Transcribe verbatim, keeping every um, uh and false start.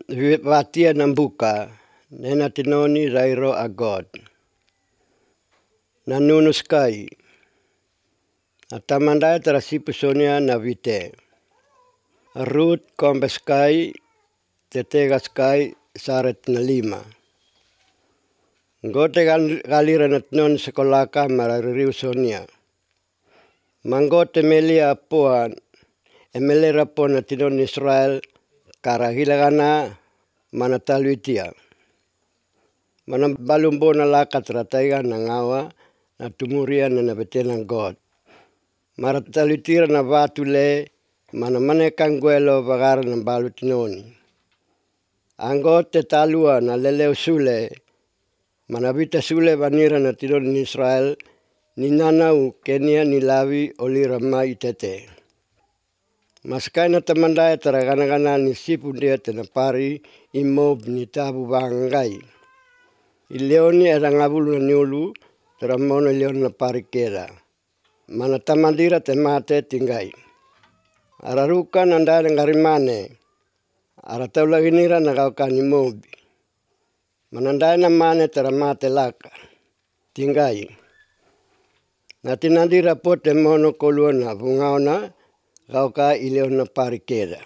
watia nambuka nena tinoni rairo a God. Na nunuskai atamandai terasipu sonia na vite. Ruth kombeskai tetegaskai saret na lima. Gote galira na tinon sekolaka marariu sonia. Manggote melia poan emelera po na tinon Israel karahilagana manataluitia. Manam balumbo na lakat rataiga na ngawa na tumuria na nabetenang God. Marataluitira na vatule mana manekang guelo bagara ng balu tinoni. Anggote talua na leleu sule manabita sule banira na tinon ni Israel ni nanau Kenia ni lawi olira mai tete. Maskai na tamandaya taragana-gana ni sipu dia tenapari imob ni tabu bangai. Ileoni ada ngabulu na niulu teramono ileoni na parikera. Mana tamandira temate tinggai. Araruka nanda ngarimane. Arataula ginira nagaukan imobi. Manandai na mane teramate laka. Tinggai. Natinandira po temono koluana bungaona gauka ileoni na parikera.